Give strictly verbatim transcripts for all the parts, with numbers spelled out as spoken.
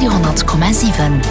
Radio honnert Komma siwen.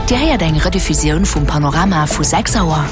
Dir héiert eng Rediffusioun vum Panorama vu sechs Auer.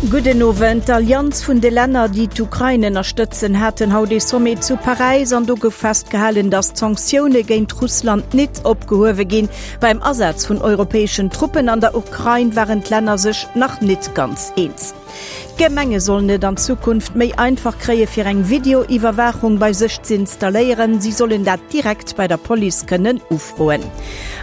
Gudden Owend. D'Allianz vun de Länner, déi d'Ukrain ënnerstëtzen, haten haut ee Sommet zu Paräis an do gouf festgehalen, datt d'Sanktioune géint Russland nit opgehuewe ginn. Beim Asaz vun europäeschen Truppen an der Ukrain waren d'Länner sech nach nit ganz eens. D'Gemenge sollen et an Zukunft méi einfach kréie fir eng Videoiwwerwaachung bei sech z'installéieren. Si sollen dat direkt bei der Police kënnen ufroen.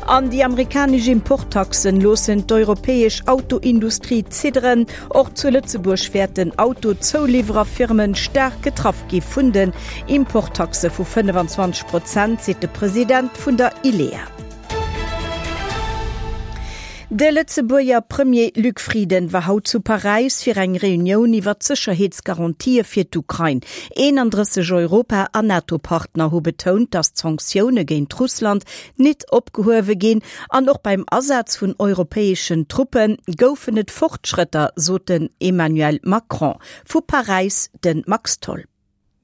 An déi amerikanesch Importtaxen loossen d'europäesch Autoindustrie zidderen. Och zu Lëtzebuerg wäerten Autozouliwwererfirmen staark getraff gi vun den Importtaxe vu fënnefenzwanzeg Prozent, seet de President vun der ILEA. De Lëtzebuerger Premier Luc Frieden war haut zu Paräis fir eng Reunioun iwwer d'Sécherheetsgarantië fir d'Ukrain. eenandrësseg Europa an NATO-Partner hu betount, datt d'Sanktioune géint Russland nit opgehuewe ginn. An och beim Asaz vun europäeschen Truppe goufen et Fortschrëtter, sot den Emmanuel Macron. Vu Paräis de Max Tholl.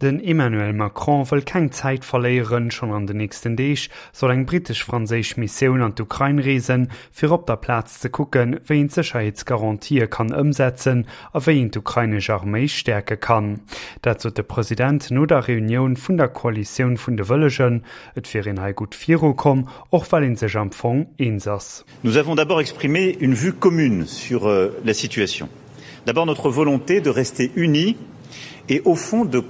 Den Emmanuel Macron wëll keng Zäit verléieren, schonn an den nächsten Deeg soll eng brittesch-franséisch Missioun an d'Ukrain reesen, fir op der Plaz ze kucken, wéi een d'Sécherheetsgarantië kann ëmsetzen a wéi een d'ukrainesch Arméi stäerke kann. Dat sot de President no der Reunioun vun der Koalitioun vun de Wëllegen. Et wier een hei gutt virukomm, och well ee sech am Fong eens ass. Nous avons d'abord exprimé une vue commune sur la situation. D'abord notre volonté de rester unis et au fond de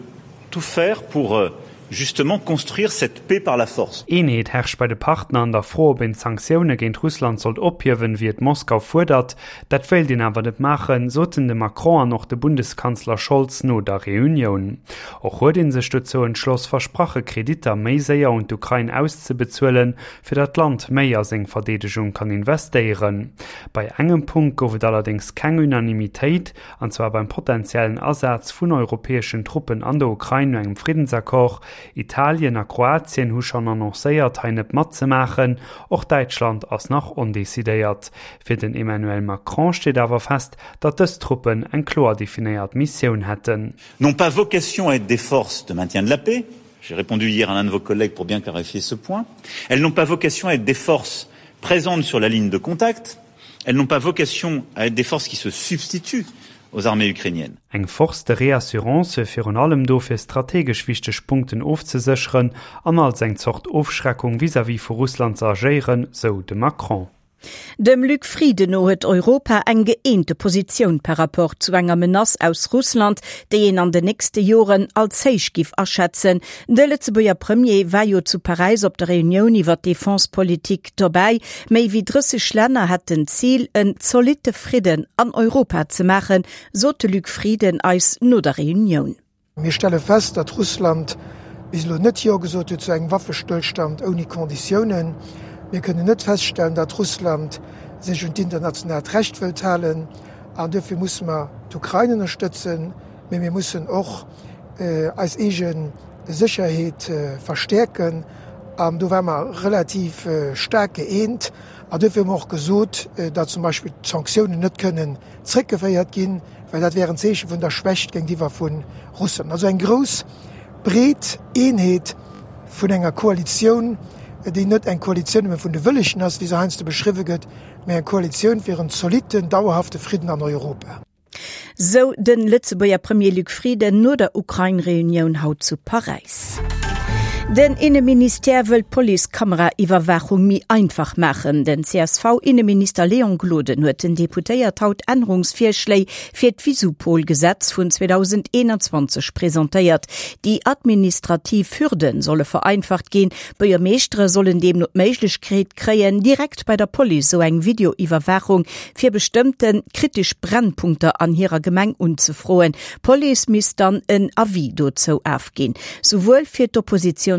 tout faire pour justement construire cette paix par la force. Eenheet herrscht bei de Partner an der Fro, ob een d'Sanktioune géint Russland sollt ophiewen, wéi et Moskau fuerdert. Dat wéilt een awer net maachen, soten de Macron an och de Bundeskanzler Scholz no der Reunioun. Och huet ee sech dozou entschloss, versprache Kreditter méi séier un d'Ukrain auszebezuelen, fir datt d'Land méi a seng Verdeedegung kann investéieren. Bei engem Punkt gouf et allerdéngs keng Unanimitéit, an zwar beim potentiellen Asaz vun europäeschen Truppen an der Ukrain no engem Friddensaccord. Italien a Kroatien hu schonn annoncéiert, hei net matzemaachen. Och Däitschland ass nach ondecidéiert. Fir den Emmanuel Macron steet awer fest, datt dës Truppen eng kloer definéiert Missioun hätten. N'ont pas vocation à être des forces de maintien de la paix, j'ai répondu hier à l'un de vos collègues pour bien clarifier ce point, elles n'ont pas vocation à être des forces présentes sur la ligne de contact, elles n'ont pas vocation à être des forces qui se substituent aux armées ukrainiennes. Eng Force de réassurance wier virun allem do fir strategesch wichteg Punkten ofzesécheren an als eng Zort Ofschreckung vis-à-vis vu Russland ze agéieren, sou de Macron. Dem Luc Frieden no huet Europa eng gëeente Positioun par rapport zu enger Menace aus Russland, déi een an den nächste Joren als héich giff aschätzen. De Lëtzebuerger Premier war jo zu Paräis op der Reunioun iwwer d'Defensepolitik dobäi. Méi wéi drësseg Länner hätten d'Zil, en zolitte Fridden an Europa ze maachen, sot de Luc Frieden eis no der Reunioun. Mir stelle fest, datt Russland bis elo net Jo gesot huet zu engem Waffestëllstand ouni Konditiounen. Mir kënnen net feststellen, datt Russland sech un d'internationaalt Recht wëllt halen. An duerfir musse mer d'Ukrain ënnerstëtzen, mee mir mussen och eis eege Sécherheet verstäerken. An do ware mer relativ staark gëeent. An duerfir hu mer och gesot, datt zum Beispill d'Sanktiounen net kënnen zréckgeféiert ginn, well dat wär en Zeeche vun der Schwächt géintiwwer vu Russland. Also eng grouss, breet Eenheet vun enger Koalitioun, déi net eng Koalitioun nëmme vun de Wëllegen ass, wéi se heiansdo beschriwwe gëtt, mä eng Koalitioun fir en zolitten, dauerhafte Fridden an Europa. Sou de Lëtzebuerger Premier Luc Frieden no der Ukrain-Reunioun haut zu Paräis. Den Inneministère wëll d'Police-Kameraiwwerwaachung méi einfach maachen. Den C S V-Inneminister Léon Gloden huet den Deputéiert haut Ännerungsvirschléi fir d'Visupol-Gesetz vun zweedausendeenanzwanzeg presentéiert. Déi administrativ Hürde solle vereinfacht ginn. Buergermeeschtere sollen deemno d'Méiglechkeet kréien, direkt bei der Police sou eng Videoiwwerwaachung fir bestëmmte kritesch Brennpunkter an hirer Gemeng unzefroen. D'Police misst dann en Avis dozou ofginn. Souwuel fir d'Oppositiounsparteien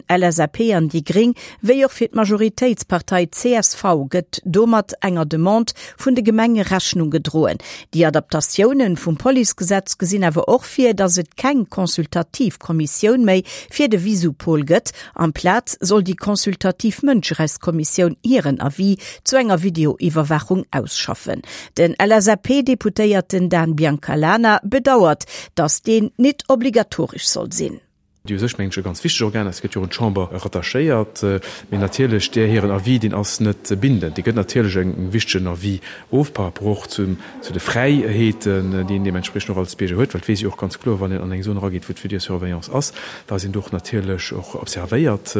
L S A P an déi Gréng, wéi och fir d'Majoritéitspartei C S V gëtt domat enger Demande vun de Gemenge Rechnung gedroen. Déi Adaptatiounen vum Policegesetz gesinn awer och vir, datt et keng consultativ Kommissioun méi fir de Visupol gëtt. Amplaz soll déi consultativ Mënscherechtskommissioun hiren Avis zu enger Videoiwwerwaachung ausschaffen. Den L S A P-Deputéierten Dan Biancalana bedauert, datt deen nit obligatoresch soll sinn. Déi u sech, mengen ech, e ganz wichteg Organ ass, gëtt jo un d'Chamber rattachéiert. Mee natierlech, där hiren Avis, deen ass net bindend. Dee gëtt natierlech e wichtegen Avis of par rapport och zu de Fräiheeten, déi een deementspriechend och als Bierger huet, well et weess ee jo och ganz kloer, wann een an eng Zon erageet, wou d'Videosurveillance ass, dass een do och natierlech och observéiert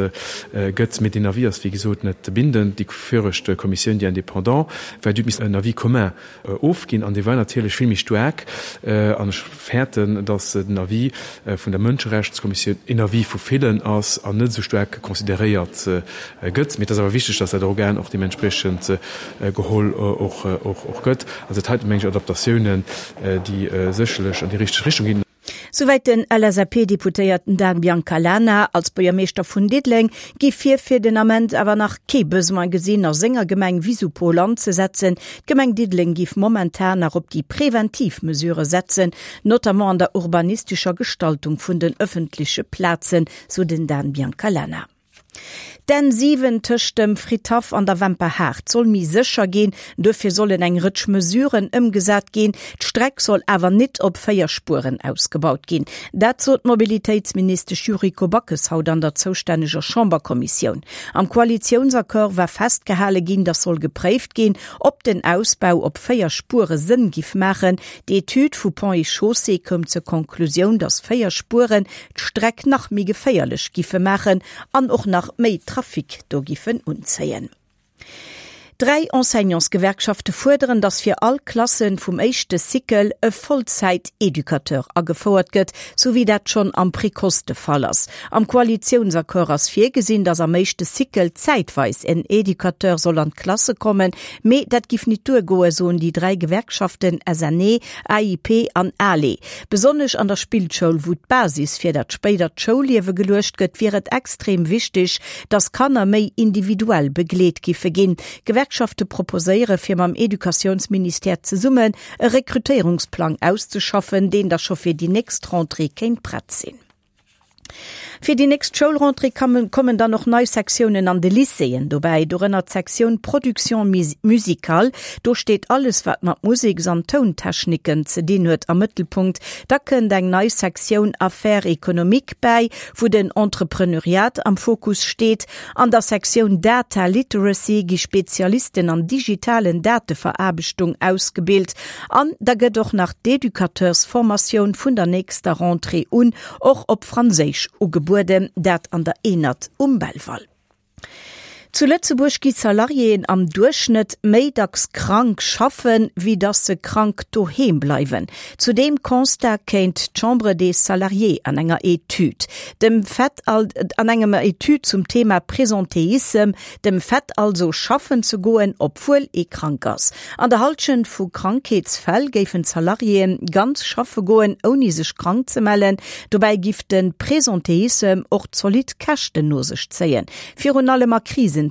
gëtt. Mee deen Avis ass, wéi gesot, net bindend. Déi viregt Kommissioun, déi indépendant war, déi huet missen en Avis commun ofginn an dee war natierlech vill méi staark. An ech fäerten, dass den Avis vun der Mënscherechtskommissioun een Avis vu villen ass an net esou staark consideréiert gëtt. Mee et ass awer wichteg, dass dat Organ och deementspriechend geholl och gëtt. Also dat heiten, meng ech, Adaptatiounen, déi sécherlech an déi richteg Richtung ginn. Souwäit den L S A P-Deputéierten Dan Biancalana. Als Buergermeeschter vun Diddeleng géif hie fir den Ament awer nach kee Besoin gesinn, a senger Gemeng Visupol anzesetzen. D'Gemeng Diddeleng géif momentan nach op déi preventiv Mesurë setzen, notamment an der urbanistescher Gestaltung vun den ëffentleche Plazen, sou den Dan Biancalana. D'N siwen tëscht dem Fridhaff an der Wemperhaart soll méi sécher ginn, dofir sollen eng Rëtsch Mesuren ëmgesat ginn. D'Streck soll awer net op véier Spueren ausgebaut ginn. Dat sot d'Mobilitéitsministesch Yuriko Backes haut an der zoustänneger Chamberkommissioun. Am Koalitiounsaccord war festgehale ginn, datt soll gepréift ginn, ob den Ausbau op véier Spuere Sënn giff maachen. D'Etüd vu Ponts et Chaussées koum zur Konklusioun, datt véier Spueren d'Streck nach méi geféierlech giffe maachen an och nach méi Trafic do giffen unzéien. Dräi Enseignantsgewerkschafte fuerderen, datt fir all Klasse vum éischte Cycle e Vollzäit-Educateur agefouert gëtt, sou wéi dat schonn am Précoce de Fall ass. Am Koalitiounsaccord ass virgesinn, datt am éischte Cycle zäitweis en Educateur soll an d'Klasse kommen, mee dat giff net duergoen, soen déi dräi Gewerkschaften S N E, A I P an ALE. Besonnesch an der Spillschoul, wou d'Basis fir dat spéidert Schoulliewe geluecht gëtt, wier et extrem wichteg, datt Kanner méi individuell begleet giffe ginn. D'Gewerkschafte proposéiere fir mam Educatiounsministère zesummen e Rekrutéierungsplang auszeschaffen, deen da scho fir déi nächst Rentrée kéint prett sinn. Fir déi nächst Schoulrentrée kommen dann och nei Sektiounen an de Lycéeën dobäi, dorënner d'Sektioun Production musicale. Do steet alles wat mat Museks an Tountechniken ze dinn huet am Mëttelpunkt. Da kënnt eng nei Sektioun Affaires économiques bäi, wou den Entrepreneuriat am Fokus steet. An der Sektioun Data Literacy gi Spezialisten an digitalen Dateveraarbechtung ausgebilt. An da gëtt och nach d'Educateursformatioun vun der nächster Rentrée un och op Franséisch ugebueden, dat an der Enert um Belval. Zu Lëtzebuerg gi Salariéen am Duerchschnëtt méi dacks krank schaffen, wéi datt se krank doheem bleiwen. Zu deem Constat kéint d'Chambre des Salariés an enger Etüd. Dem Fait an enger Etüd zum Thema Presentéissem, dem Fait also schaffen ze goen, obwuel ee krank ass. An der Hallschent vu Krankheetsfäll géifen d'Salariéen ganz schaffe goen, ouni sech krank ze mellen. Dobäi giff de Presentéissem och zolidd Käschten no sech zéien. Virun allem a Krisenzäiten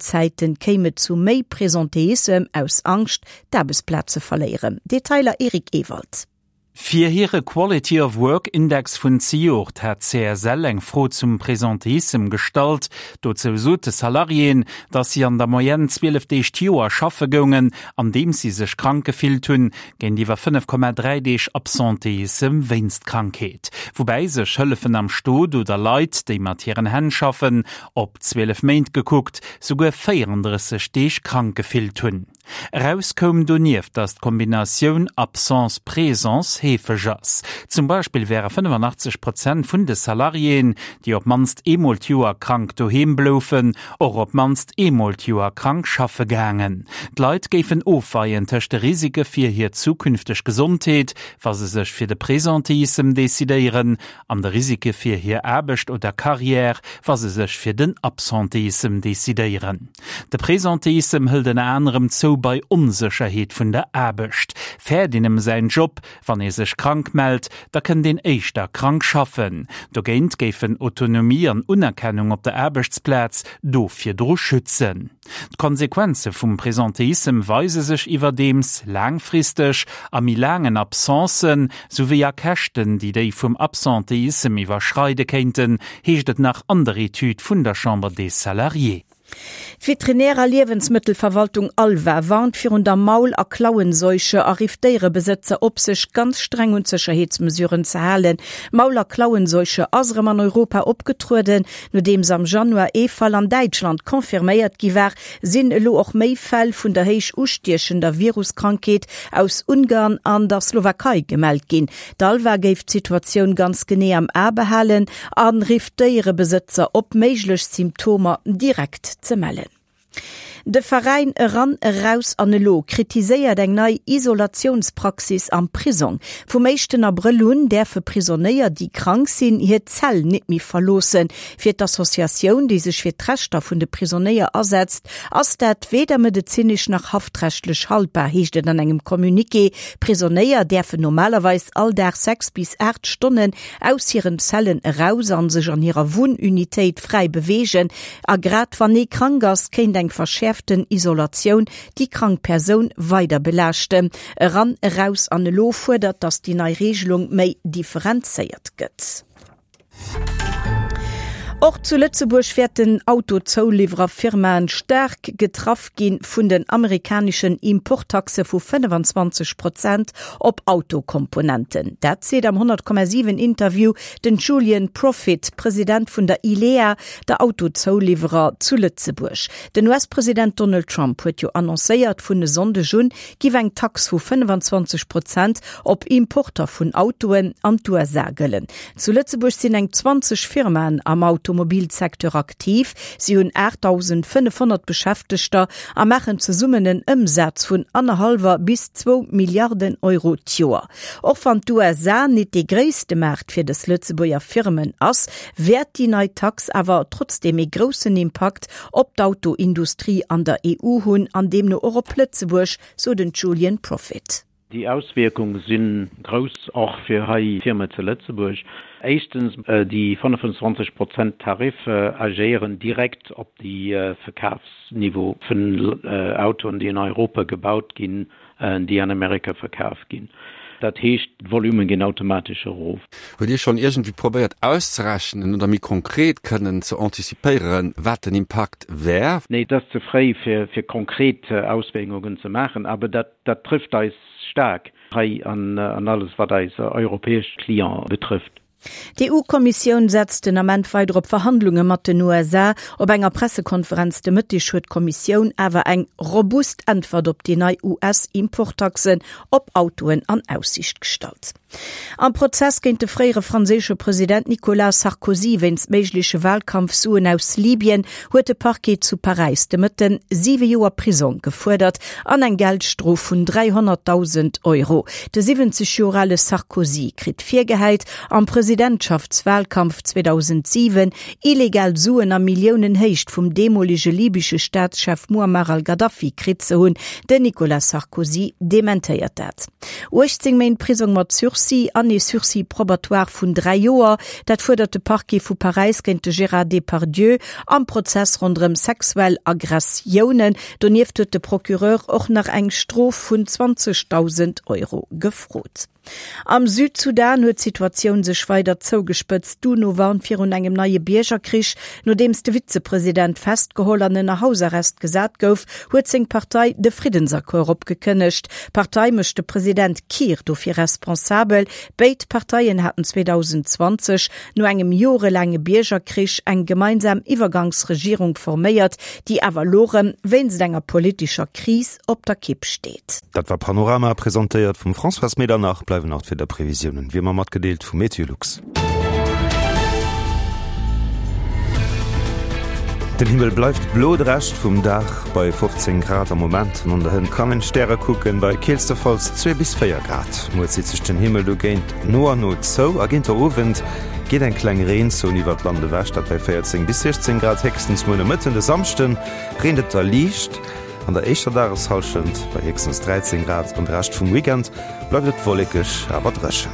kéim et zu méi Presentéissem aus Angscht, d'Aarbechtsplaz ze verléieren. Detailer Eric Ewald. Fir hire Quality of Work Index vun zejoert hat C S L eng Fro zum Presentéissem gestallt. Dozou sote Salariéen, datt si an der Moyenne zwielef Deeg d'Joer schaffe goungen, an deem si sech krank gefillt hunn, géintiwwer fënnef Komma dräi Deeg Absentéissem wéinst Krankheet. Woubäi sech Hëllefen am Stot oder Leit, déi mat hiren Hänn schaffen, op zwielef Méint gekuckt, souguer véierendrësseg Deeg krank gefillt hunn. Eraus koum donieft, datt d'Kombinatioun Absence-Présence heefeg ass. Zum Beispill wäre fënnefanachtzeg Prozent vun de Salariéen, déi op d'mannst eemol d'Joer krank doheem bloufen, och op d'mannst eemol d'Joer krank schaffe gaangen. D'Leit géifen ofweien tëscht de Risike fir hir zukünfteg Gesondheet, wa se sech fir de Presentéissem decidéieren, an de Risike fir hir Aarbecht oder Karriär, wa se sech fir den Absentéissem decidéieren. De Presentéissem hëlt ënner anerem zou bei Onsécherheet vun der Aarbecht. Fäert een ëm säin Job, wann ee sech krank mellt, da kënnt een éischter krank schaffen. Dogéint géifen Autonomie an Unerkennung op der Aarbechtsplaz do virdru schützen. D'Konsequenze vum Presentéissem weise sech iwwerdeems laangfristeg a méi laangen Absencen, souwéi a Käschten, déi déi vum Absentéissem iwwerschreide kéinten, heescht et nach an der Etüd vun der Chambre des Salariés. D'Veterinär a Liewensmëttelverwaltung ALVA warnt virun der Maul a Klauenseuche a rifft Déierebesëtzer op, sech ganz streng un d'Sécherheetsmesuren ze halen. D'Maul a Klauenseuche ass erëm an Europa opgetrueden. Nodeems am Januar ee Fall an Däitschland confirméiert gi war, sinn elo och méi Fäll vun der héich ustiechender Viruskrankheet aus Ungarn an der Slowakei gemellt ginn. D'ALVA géif d'Situatioun ganz genee am A behalen a rifft d'Déierebesëtzer op, méiglech Symptomer direkt ze mellen. De Veräin Eran, Eraus an Elo kritiséiert eng nei Isolatiounspraxis am Prisong. Vum éischten Abrëll un däerfe Prisonéier, déi krank sinn, hir Zell nit méi verloossen. Fir d'Associatioun, déi sech fir d'Rechter vun de Prisonéier asetzt, ass dat weder medezinesch nach haftrechtlech haltbar, heescht et an engem Communiqué. Prisonéier däerfen normalerweis all Dag sechs bis aacht Stonnen aus hiren Zellen eraus an sech an hirer Wunnunitéit fräi beweegen. A grad wann ee krank ass, kéint eng verschäerften Isolatioun déi krank Persoun weider belaaschten. Eran, Eraus an Elo fuerdert, datt déi nei Reegelung méi differenzéiert gëtt. Och zu Lëtzebuerg wäerten Autozouliwwererfirmaen staark getraff gi vun den amerikaneschen Importtaxe vu fënnefenzwanzeg Prozent op Autokomponenten. Dat seet am honnert Komma siwen Interview den Julien Profit, President vun der ILEA, der Autozouliwwerer zu Lëtzebuerg. Den U S-President Donald Trump huet jo annoncéiert, vun e Sonndeg un giff eng Tax vu fënnefenzwanzeg Prozent op Importer vun Autoen an d'U S A gëllen. Zu Lëtzebuerg sinn eng zwanzeg Firmaen am Automobilsecteur aktiv. Si hunn aachtdausendfënnefhonnert Beschäftegter a maachen zesummen en Ëmsaz vun annerhallwer bis zwou Milliarden Euro d'Joer. Och wann d'U S A nit dee gréisste Maart fir dës Lëtzebuerger Firmen ass, wäert déi nei Tax awer trotzdeem ee groussen Impakt op d'Autoindustrie an der E U hunn an deemno och op Lëtzebuerg, sou den Julien Profit. Déi Auswierkunge si grouss och fir hei Firme zu Lëtzebuerg. Éischtens, déi fënnefenzwanzeg Prozent Tarif agéieren direkt op de Verkafsniveau vun Autoen, déi an Europa gebaut ginn, déi an Amerika verkaf ginn. Dat heescht, d'Volume ginn automatesch erof. Hutt Dir schonn iergendwéi probéiert auszerechnen oder méi konkret kënnen ze antizipéieren, wat den Impakt wär? Nee, et ass ze fréi fir fir konkret Auswierkungen ze maachen, awer dat dat trëfft eis staark hei an an alles wat eis europäesch Clienten betrëfft. D'EU-Kommissioun setzt den Ament weider op Verhandlunge mat den U S A. Op enger Pressekonferenz de Mëtteg huet d'Kommissioun awer eng robust Äntwert op déi nei U S-Importtaxen op Autoen an Aussiicht gestallt. Am Prozess géint de fréiere franséische President Nicolas Sarkozy wéinst méigleche Walkampfsuen aus Libyen huet de Parquet zu Paräis de Mëtten siwe Joer Prisong gefuerdert an eng Geldstrof vun dräihonnertdausend Euro. De siwwenzeg Joer ale Sarkozy kritt virgehäit, am Presidentschaftswalkampf zweedausentsiwen illegal Suen a Milliounenhéicht vum deemolege libysche Staatschef Muammar al-Gaddafi kritt ze hunn. Den Nicolas Sarkozy dementéiert dat. uechtzéng Méint Prisong mat Sursis an ee Sursis probatoire vun dräi Joer, dat fuerdert de Parquet vu Paräis géint de Gérard Depardieu am Prozess ronderëm sexuell Aggressiounen. Donieft huet de Procureur och nach eng Strof vun zwanzegdausend Euro gefrot. Am Südsudan huet d'Situatioun sech weider zougespëtzt. D'UNO warnt virun engem neie Biergerkrich. Nodeems de Vizepresident festgeholl an ënner Hausarrest gesat gouf, huet seng Partei de Friddensaccord opgekënnegt. D'Partei mécht de President Kiir dofir responsabel. Béid Parteien haten zweedausendzwanzeg no engem jorelaange Biergerkrich eng gemeinsam Iwwergangsregierung forméiert, déi awer elo rëm wéinst enger politescher Kris op der Kipp steet. Dat war Panorama, presentéiert vum Françoise Medernach. Bleiwen nach d'Wiederprevisiounen, wéi ëmmer matgedeelt vu Meteolux. Den Himmel bleift blo de Rescht vum Dag bei fofzéng Grad am Moment an an der Hënt kann een d'Stäre kucken bei keelstefalls zwee bis véier Grad. Muer zitt sech den Himmel dogéint no an no zou a géint der Owend geet eng kleng Reenzon iwwert d'Land ewech, dat bei véierzéng bis siechzéng Grad héchstens. Muer Nomëtten, de Samschden, reent et da liicht an der éischter Dageshallschent bei héchstens dräizéng Grad an de Rescht vum Weekend bleift et wollekeg awer dréchen.